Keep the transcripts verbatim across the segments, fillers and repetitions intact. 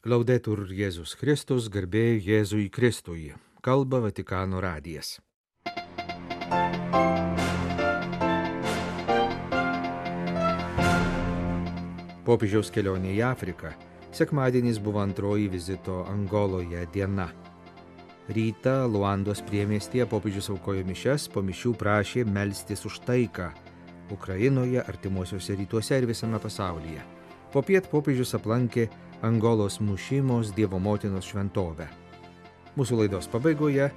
Laudetur Jėzus Kristus, garbė Jėzui Kristui. Kalba Vatikano radijas. Popiežiaus kelionė į Afriką. Sekmadienis buvo antroji vizito Angoloje diena. Rytą Luandos priemiestyje popiežius aukojo mišias, po mišių prašė melstis už taiką Ukrainoje, artimuosiuose rytuose ir visame pasaulyje. Popiet popiežius aplankė Angolos Mušimos Dievo motinos šventovę. Mūsų laidos pabaigoje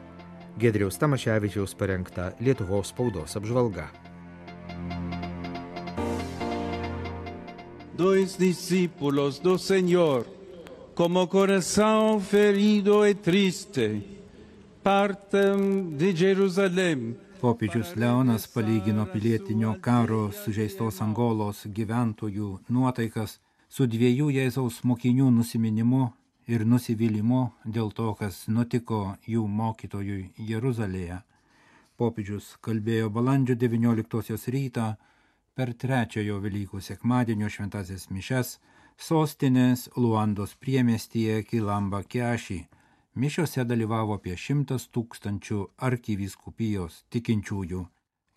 Giedriaus Tamaševičiaus parengta Lietuvos spaudos apžvalga. Dos discípulos do Señor, como corazón ferido y triste, parten de Jerusalén. Popiežius Leonas palygino pilietinio karo sužeistos Angolos gyventojų nuotaikas su dviejų Jėzaus mokinių nusiminimu ir nusivylimu dėl to, kas nutiko jų mokytojui Jeruzalėje. Popiežius kalbėjo balandžio devynioliktosios rytą per trečiojo Velykų sekmadienio šventąsias mišias sostinės Luandos priemiestyje Kilamba Kiaši. Mišiose dalyvavo apie šimtas tūkstančių arkivyskupijos tikinčiųjų.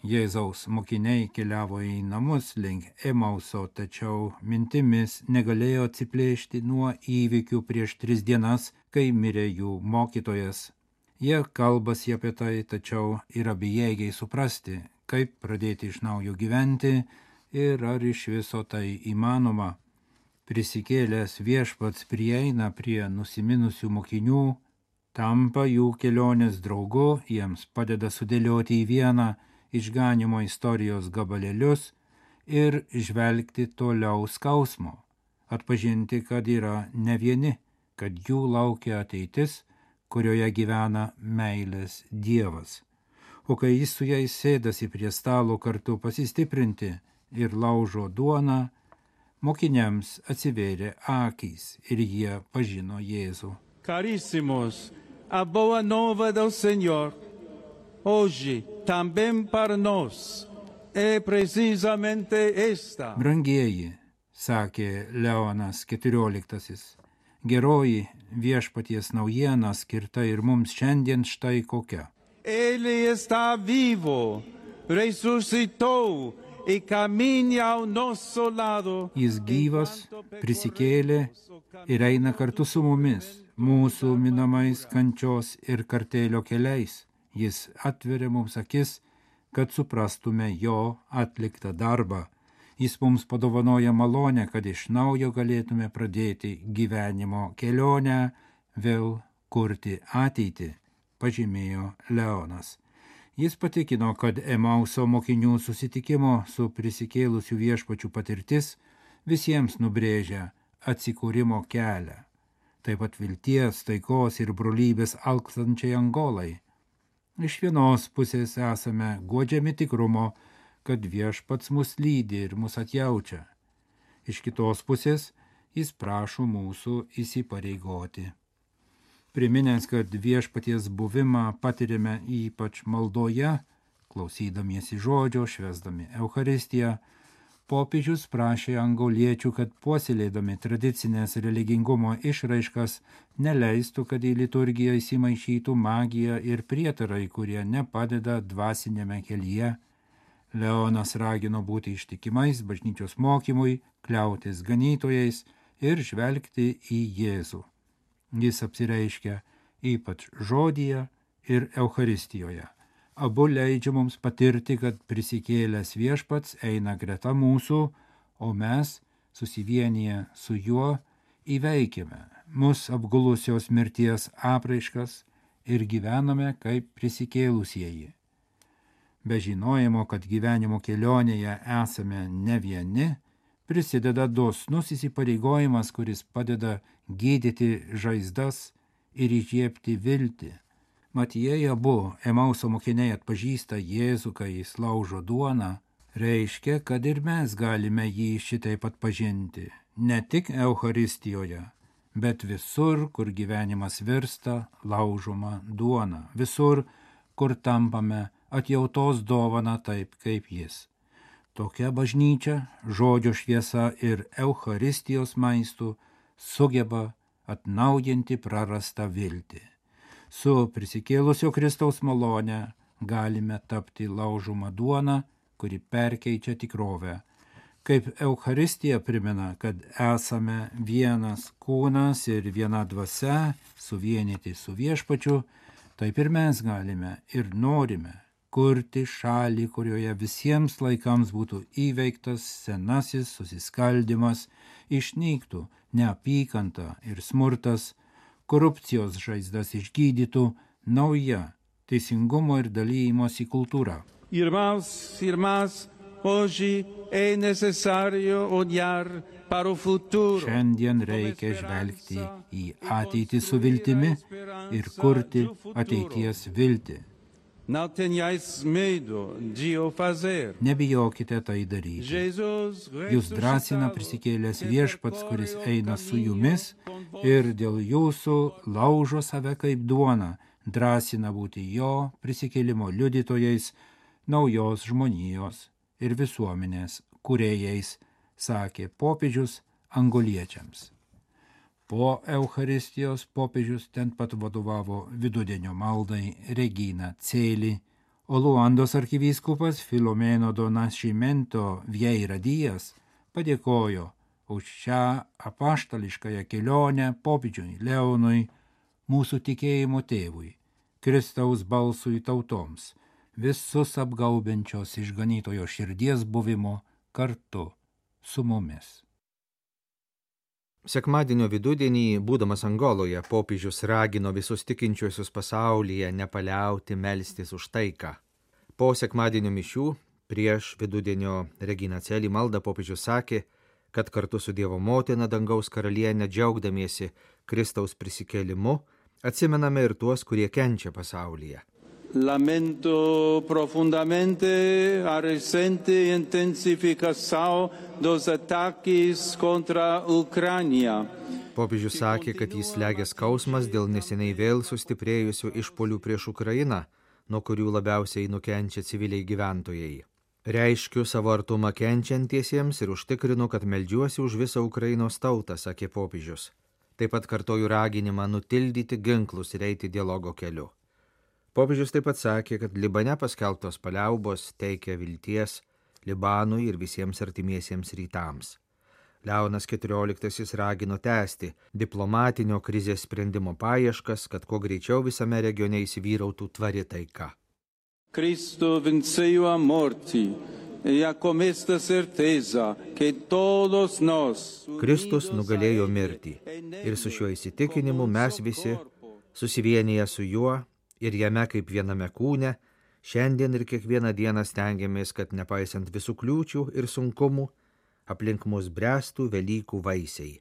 Jėzaus mokiniai keliavo į namus link Emauso, tačiau mintimis negalėjo atsiplėšti nuo įvykių prieš tris dienas, kai mirė jų mokytojas. Jie kalbasi apie tai, tačiau yra bejėgiai suprasti, kaip pradėti iš naujo gyventi ir ar iš viso tai įmanoma. Prisikėlęs Viešpats prieina prie nusiminusių mokinių, tampa jų kelionės draugu, jiems padeda sudėlioti į vieną išganimo istorijos gabalėlius ir žvelgti toliau skausmo, atpažinti, kad yra ne vieni, kad jų laukia ateitis, kurioje gyvena meilės Dievas. O kai jis su jais sėdasi prie stalo kartu pasistiprinti ir laužo duoną, mokiniams atsivėrė akys ir jie pažino Jėzų. Caríssimos, a boa nova do Senhor, hoje também para nós é precisamente esta. Brangieji, sakė Leonas keturioliktasis, geroji viešpaties naujiena skirta ir mums šiandien štai kokia. Ele está vivo, ressuscitou e caminha ao nosso lado. Jis gyvas, prisikėlė ir eina kartu su mumis, mūsų minamais kančios ir kartėlio keliais. Jis atveria mums akis, kad suprastume jo atliktą darbą. Jis mums padovanoja malonę, kad iš naujo galėtume pradėti gyvenimo kelionę, vėl kurti ateitį, pažymėjo Leonas. Jis patikino, kad Emauso mokinių susitikimo su prisikėlusiu viešpačiu patirtis visiems nubrėžia atsikūrimo kelią, taip pat vilties, taikos ir brolybės alkstančiai Angolai. Iš vienos pusės esame guodžiami tikrumo, kad Viešpats mus lydi ir mus atjaučia. Iš kitos pusės jis prašo mūsų įsipareigoti. Priminęs, kad Viešpaties buvimą patiriame ypač maldoje, klausydamiesi žodžio, švęsdami Eucharistiją, popiežius prašė angoliečių, kad puoselėdami tradicinės religingumo išraiškas neleistų, kad į liturgiją įsimaišytų magija ir prietarai, kurie nepadeda dvasinėme kelyje. Leonas ragino būti ištikimais bažnyčios mokymui, kliautis ganytojais ir žvelgti į Jėzų. Jis apsireiškia ypač žodyje ir Eucharistijoje. Abu leidžia mums patirti, kad prisikėlęs Viešpats eina greta mūsų, o mes, susivienyje su juo, įveikime mus apgulusios mirties apraiškas ir gyvename kaip prisikėlusieji. Be žinojimo, kad gyvenimo kelionėje esame ne vieni, prisideda dosnus įsipareigojimas, kuris padeda gydyti žaizdas ir įžiebti viltį. Mat jei abu Emauso mokiniai atpažįsta Jėzų, kai jis laužo duoną, reiškia, kad ir mes galime jį šitaip atpažinti, ne tik Eucharistijoje, bet visur, kur gyvenimas virsta laužoma duona, visur, kur tampame atjautos dovana taip kaip jis. Tokia bažnyčia, žodžio šviesa ir Eucharistijos maistų sugeba atnaujinti prarastą viltį. Su prisikėlusio Kristaus malone galime tapti laužoma duona, kuri perkeičia tikrovę. Kaip Eucharistija primena, kad esame vienas kūnas ir viena dvasia, suvienyti su Viešpačiu, taip ir mes galime ir norime kurti šalį, kurioje visiems laikams būtų įveiktas senasis susiskaldimas, išnyktų neapykanta ir smurtas, korupcijos žaizdas išgydytų nauja teisingumo ir dalymosi kultūra. Irmãos, irmãs, hoje é necessário olhar para o futuro. Šiandien reikia žvelgti į ateitį su viltimi ir kurti ateities viltį. Não tenhais medo de o fazer. Nebijokite tai daryti. Jūs drąsina prisikėlęs Viešpats, kuris eina su jumis ir dėl jūsų laužo save kaip duona, drąsina būti jo prisikėlimo liudytojais, naujos žmonijos ir visuomenės kūrėjais, sakė popiežius angoliečiams. Po Eucharistijos popiežius ten pat vadovavo vidudienio maldai Regina Celi, o Luandos arkivyskupas Filomeno do Nascimento Vieira Dijas padėkojo už šią apaštališkąją kelionę popiežiui Leonui, mūsų tikėjimo tėvui, Kristaus balsui tautoms, visus apgaubiančios išganytojo širdies buvimo kartu su mumis. Sekmadienio vidudienį, būdamas Angoloje, popiežius ragino visus tikinčiuosius pasaulyje nepaliauti melstis už taiką. Po sekmadienio mišių, prieš vidudienio Regina Celi maldą, popiežius sakė, kad kartu su Dievo motina dangaus karaliene džiaugdamiesi Kristaus prisikėlimu, atsimename ir tuos, kurie kenčia pasaulyje. Lamento profundamente a recente intensificação dos ataques contra Ucrânia. Popiežius sakė, kad jis slegia skausmas dėl neseniai vėl sustiprėjusių išpuolių prieš Ukrainą, nuo kurių labiausiai nukenčia civiliai gyventojai. Reiškiu savo artumą kenčiantiesiems ir užtikrinu, kad meldžiuosi už visą Ukrainos tautą, sakė popiežius. Taip pat kartoju raginimą nutildyti ginklus ir eiti dialogo keliu. Popiežius taip pat sakė, kad Libane paskelbtos paliaubos teikia vilties Libanui ir visiems artimiesiems rytams. Leonas keturioliktasis ragino tęsti diplomatinio krizės sprendimo paieškas, kad kuo greičiau visame regione įsivyrautų tvari taika. Cristo venceu a morte e a com esta certeza que todos nós. Kristus nugalėjo mirtį ir su šiuo įsitikinimu mes visi, susivienyje su juo ir jame kaip viename kūne, šiandien ir kiekvieną dieną stengiamės, kad nepaisant visų kliūčių ir sunkumų, aplink mus bręstų Velykų vaisiai.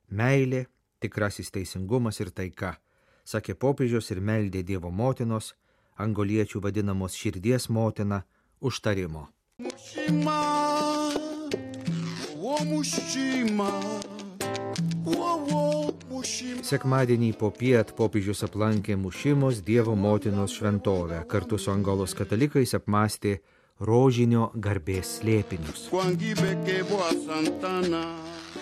Meilė, tikrasis teisingumas ir taika, sakė popiežius ir meldė Dievo motinos, angoliečių vadinamos širdies motina, užtarimo. Mušima, o mušima, o, o. Sekmadienį popiet popiežius aplankė Mušimos Dievo motinos šventovę, kartu su Angolos katalikais apmąstė rožinio garbės slėpinius.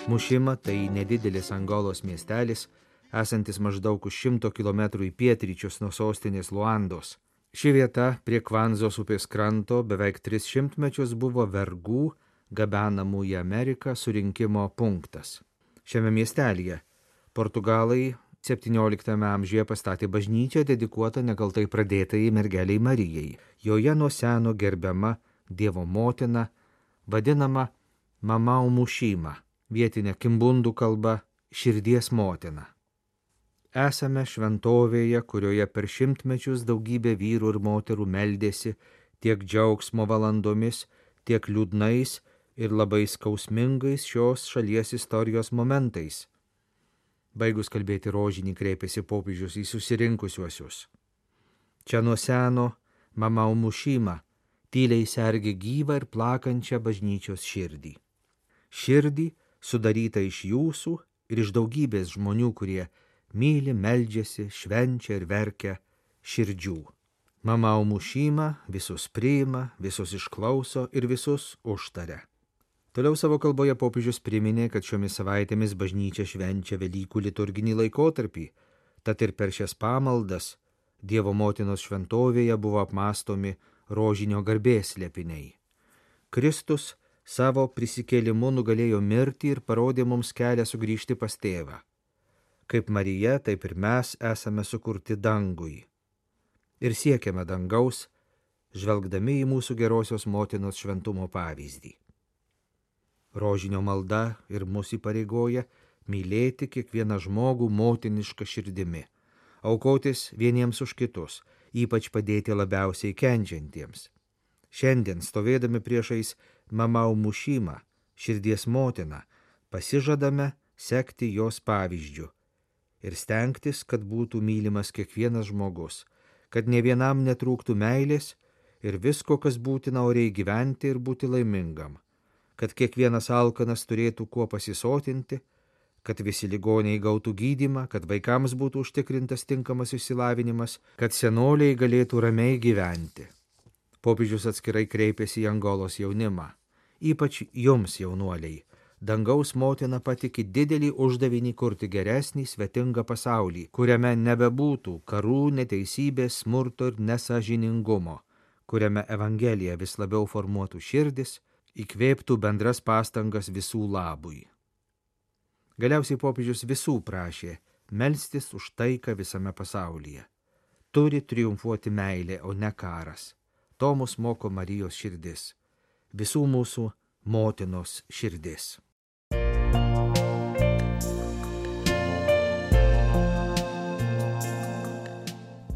Mušima tai nedidelis Angolos miestelis, esantis maždaug už šimto kilometrų į pietryčius nuo sostinės Luandos. Ši vieta prie Kvanzos upės kranto beveik tris šimtmečius buvo vergų gabenamų į Ameriką surinkimo punktas. Šiame miestelyje Portugalai septynioliktame amžiuje pastatė bažnyčią dedikuotą nekaltai pradėtai mergeliai Marijai. Joje nuo seno gerbiama Dievo motina, vadinama Mamau Mušima, vietinė kimbundų kalba širdies motina. Esame šventovėje, kurioje per šimtmečius daugybė vyrų ir moterų meldėsi tiek džiaugsmo valandomis, tiek liūdnais ir labai skausmingais šios šalies istorijos momentais. Baigus kalbėti rožinį, kreipėsi popiežius į susirinkusiuosius. Čia nuo seno Mamau Mušima tyliai sergi gyvą ir plakančią bažnyčios širdį. Širdį sudaryta iš jūsų ir iš daugybės žmonių, kurie myli, meldžiasi, švenčia ir verkia širdžių. Mamau Mušima visus priima, visus išklauso ir visus užtaria. Toliau savo kalboje popiežius priminė, kad šiomis savaitėmis bažnyčia švenčia Velykų liturginį laikotarpį, tad ir per šias pamaldas Dievo motinos šventovėje buvo apmąstomi rožinio garbės slėpiniai. Kristus savo prisikėlimu nugalėjo mirtį ir parodė mums kelią sugrįžti pas tėvą. Kaip Marija, taip ir mes esame sukurti dangui. Ir siekiame dangaus, žvelgdami į mūsų gerosios motinos šventumo pavyzdį. Rožinio malda ir mus įpareigoja mylėti kiekvieną žmogų motinišką širdimi, aukotis vieniems už kitus, ypač padėti labiausiai kenčiantiems. Šiandien, stovėdami priešais Mamau Mušimą, širdies motiną, pasižadame sekti jos pavyzdžiu ir stengtis, kad būtų mylimas kiekvienas žmogus, kad ne vienam netrūktų meilės ir visko, kas būtina oriai gyventi ir būti laimingam, kad kiekvienas alkanas turėtų kuo pasisotinti, kad visi ligoniai gautų gydymą, kad vaikams būtų užtikrintas tinkamas išsilavinimas, kad senoliai galėtų ramiai gyventi. Popiežius atskirai kreipėsi į Angolos jaunimą. Ypač jums, jaunuoliai, dangaus motina patiki didelį uždavinį kurti geresnį, svetingą pasaulį, kuriame nebebūtų karų, neteisybės, smurto ir nesąžiningumo, kuriame Evangelija vis labiau formuotų širdis, įkvėptų bendras pastangas visų labui. Galiausiai popiežius visų prašė melstis už taiką visame pasaulyje. Turi triumfuoti meilė, o ne karas. To mus moko Marijos širdis, visų mūsų motinos širdis.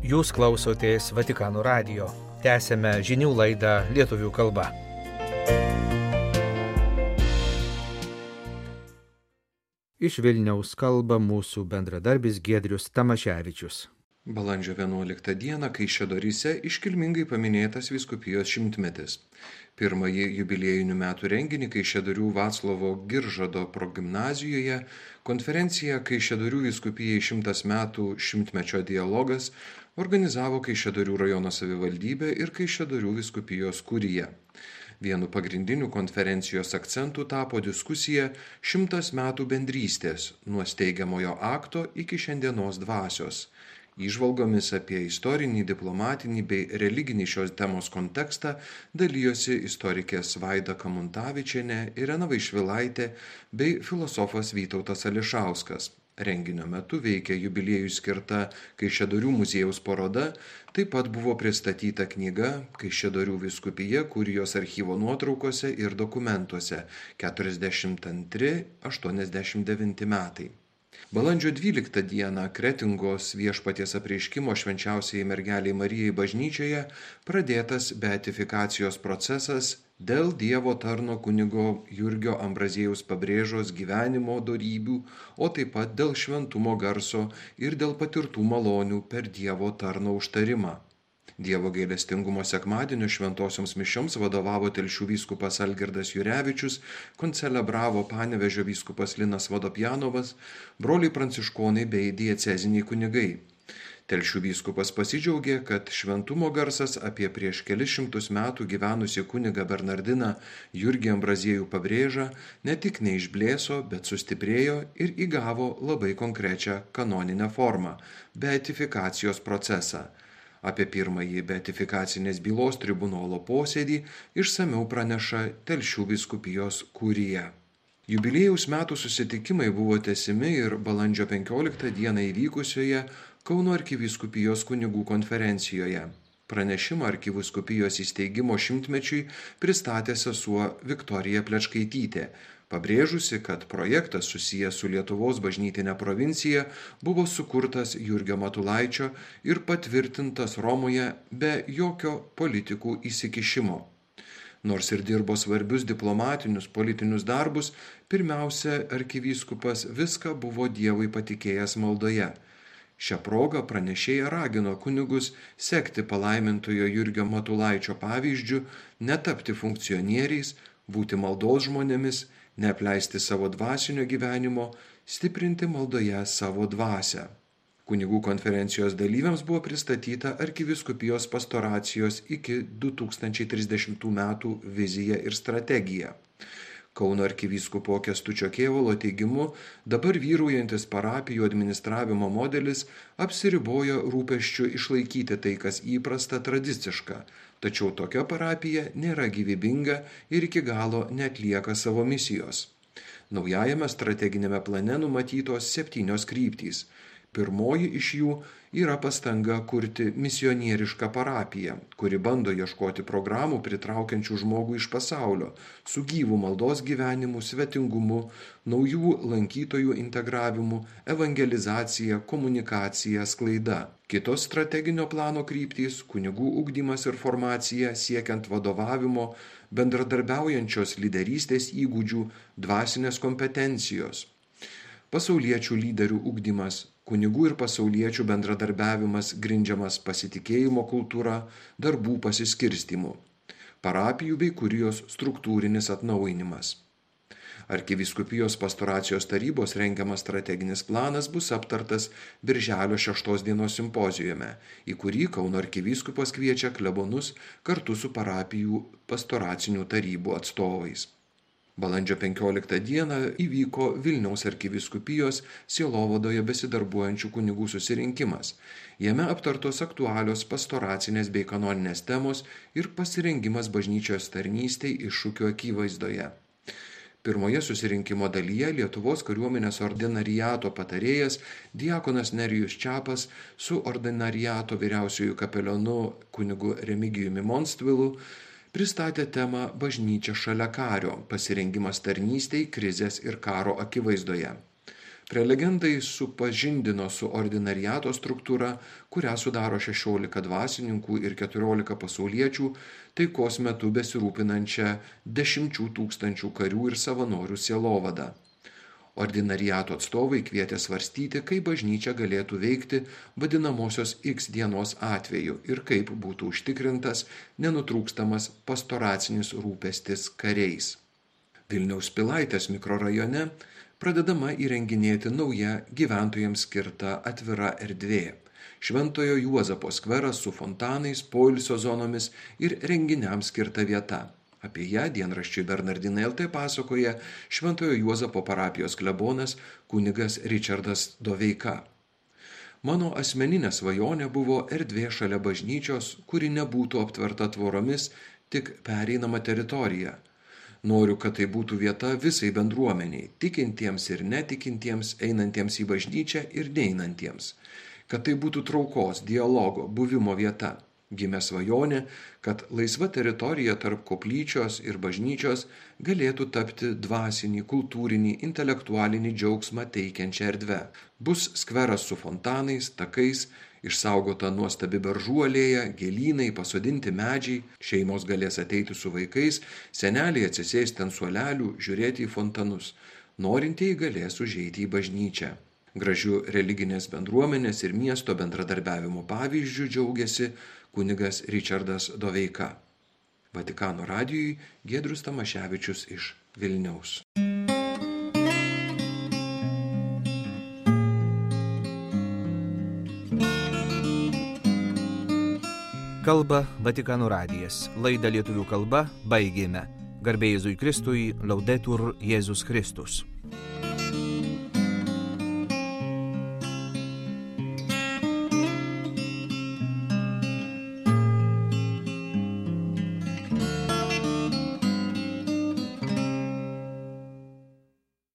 Jūs klausotės Vatikano radijo. Tęsėme žinių laidą lietuvių kalba. Iš Vilniaus kalba mūsų bendradarbis Giedrius Tamaševičius. Balandžio vienuoliktą dieną Kaišiadoryse iškilmingai paminėtas vyskupijos šimtmetis. Pirmąjį jubiliejinių metų renginį Kaišiadorių Vaclovo Giržado progimnazijoje konferencija Kaišiadorių vyskupijai šimtas metų šimtmečio dialogas organizavo Kaišiadorių rajono savivaldybė ir Kaišiadorių vyskupijos kurija. Vienu pagrindinių konferencijos akcentų tapo diskusija šimtas metų bendrystės nuo steigiamojo akto iki šiandienos dvasios. Įžvalgomis apie istorinį, diplomatinį bei religinį šios temos kontekstą dalijosi istorikės Vaida Kamuntavičienė, Irena Vaišvilaitė bei filosofas Vytautas Ališauskas. Renginio metu veikė jubiliejui skirta Kaišiadorių muziejaus paroda, taip pat buvo pristatyta knyga Kaišiadorių vyskupija kurijos archyvo nuotraukose ir dokumentuose keturiasdešimt antri aštuoniasdešimt devinti metai. Balandžio dvyliktą dieną Kretingos Viešpaties apreiškimo švenčiausiai mergeliai Marijai bažnyčioje pradėtas beatifikacijos procesas dėl Dievo tarno kunigo Jurgio Ambraziejaus Pabrėžos gyvenimo dorybių, o taip pat dėl šventumo garso ir dėl patirtų malonių per Dievo tarno užtarimą. Dievo gailestingumo sekmadienio šventosioms mišioms vadovavo Telšių vyskupas Algirdas Jurevičius, koncelebravo Panevėžio vyskupas Linas Vodopjanovas, broliai pranciškonai bei dieceziniai kunigai. Telšių vyskupas pasidžiaugė, kad šventumo garsas apie prieš kelis šimtus metų gyvenusi kunigą Bernardiną Jurgį Ambraziejų Pabrėžą ne tik neišblėso, bet sustiprėjo ir įgavo labai konkrečią kanoninę formą – beatifikacijos procesą. Apie pirmąjį beatifikacinės bylos tribunolo posėdį išsamiau praneša Telšių vyskupijos kurija. Jubiliejaus metų susitikimai buvo tęsiami ir balandžio penkioliktą dieną įvykusioje Kauno arkivyskupijos kunigų konferencijoje. Pranešimą arkivyskupijos įsteigimo šimtmečiui pristatė sesuo Viktorija Plečkaitytė, pabrėžusi, kad projektas susijęs su Lietuvos bažnytinė provincija buvo sukurtas Jurgio Matulaičio ir patvirtintas Romoje be jokio politikų įsikišimo. Nors ir dirbo svarbius diplomatinius politinius darbus, pirmiausia, arkivyskupas viską buvo Dievui patikėjęs maldoje. Šią progą pranešėja ragino kunigus sekti palaimintojo Jurgio Matulaičio pavyzdžiu, netapti funkcionieriais, būti maldos žmonėmis, neapleisti savo dvasinio gyvenimo, stiprinti maldoje savo dvasią. Kunigų konferencijos dalyviams buvo pristatyta arkivyskupijos pastoracijos iki du tūkstančiai trisdešimtų metų vizija ir strategija. Kauno arkivyskupo Kęstučio Kėvalo teigimu, dabar vyraujantis parapijų administravimo modelis apsiriboja rūpesčiu išlaikyti tai, kas įprasta tradiciška, tačiau tokia parapija nėra gyvybinga ir iki galo neatlieka savo misijos. Naujajame strateginėme plane numatytos septynios kryptys. Pirmoji iš jų yra pastanga kurti misionierišką parapiją, kuri bando ieškoti programų pritraukiančių žmogų iš pasaulio, su gyvu maldos gyvenimu, svetingumu, naujų lankytojų integravimu, evangelizacija, komunikacija, sklaida. Kitos strateginio plano kryptys – kunigų ugdymas ir formacija siekiant vadovavimo, bendradarbiaujančios lyderystės įgūdžių, dvasinės kompetencijos. Pasauliečių lyderių ugdymas, kunigų ir pasauliečių bendradarbiavimas grindžiamas pasitikėjimo kultūra, darbų pasiskirstimu. Parapijų bei kurijos struktūrinis atnaujinimas. Arkivyskupijos pastoracijos tarybos rengiamas strateginis planas bus aptartas birželio šeštos dienos simpozijume, į kurį Kauno arkivyskupas kviečia klebonus kartu su parapijų pastoracinių tarybų atstovais. Balandžio penkioliktą dieną įvyko Vilniaus arkivyskupijos sielovadoje besidarbuojančių kunigų susirinkimas. Jame aptartos aktualios pastoracinės bei kanoninės temos ir pasirengimas bažnyčios tarnystei iššūkių akivaizdoje. Pirmoje susirinkimo dalyje Lietuvos kariuomenės ordinariato patarėjas diakonas Nerijus Čepas su ordinariato vyriausiuoju kapelionu kunigu Remigijumi Monstvilu pristatė temą Bažnyčia šalia kario – pasirengimas tarnystei, krizės ir karo akivaizdoje. Prelegentai supažindino su ordinariato struktūra, kurią sudaro šešiolika dvasininkų ir keturiolika pasauliečių, taikos metu besirūpinančią dešimčių tūkstančių karių ir savanorių sielovadą. Ordinariato atstovai kvietė svarstyti, kaip bažnyčia galėtų veikti vadinamosios X dienos atveju ir kaip būtų užtikrintas nenutrūkstamas pastoracinis rūpestis kariais. Vilniaus Pilaitės mikrorajone pradedama įrenginėti nauja gyventojams skirta atvira erdvė. Šventojo Juozapo skveras su fontanais, poilsio zonomis ir renginiams skirta vieta. Apie ją dienraščiui Bernardinai L T pasakoja Šventojo Juozapo parapijos klebonas kunigas Ričardas Doveika. Mano asmeninė svajonė buvo erdvė šalia bažnyčios, kuri nebūtų aptverta tvoromis, tik pereinama teritorija. Noriu, kad tai būtų vieta visai bendruomeniai, tikintiems ir netikintiems, einantiems į bažnyčią ir neinantiems. Kad tai būtų traukos, dialogo, buvimo vieta. Gimė svajonė, kad laisva teritorija tarp koplyčios ir bažnyčios galėtų tapti dvasinį, kultūrinį, intelektualinį džiaugsmą teikiančią erdvę. Bus skveras su fontanais, takais, išsaugota nuostabi beržų alėja, gėlynai, pasodinti medžiai, šeimos galės ateiti su vaikais, seneliai atsisėsti ant suolelių, žiūrėti į fontanus, norintieji galės užeiti į bažnyčią. Gražių religinės bendruomenės ir miesto bendradarbiavimo pavyzdžių džiaugiasi kunigas Ričardas Doveika. Vatikano radijui Giedrius Tamaševičius iš Vilniaus. Kalba Vatikano radijas. Laidą lietuvių kalba baigėme. Garbė Jėzui Kristui, Laudetur Jėzus Kristus.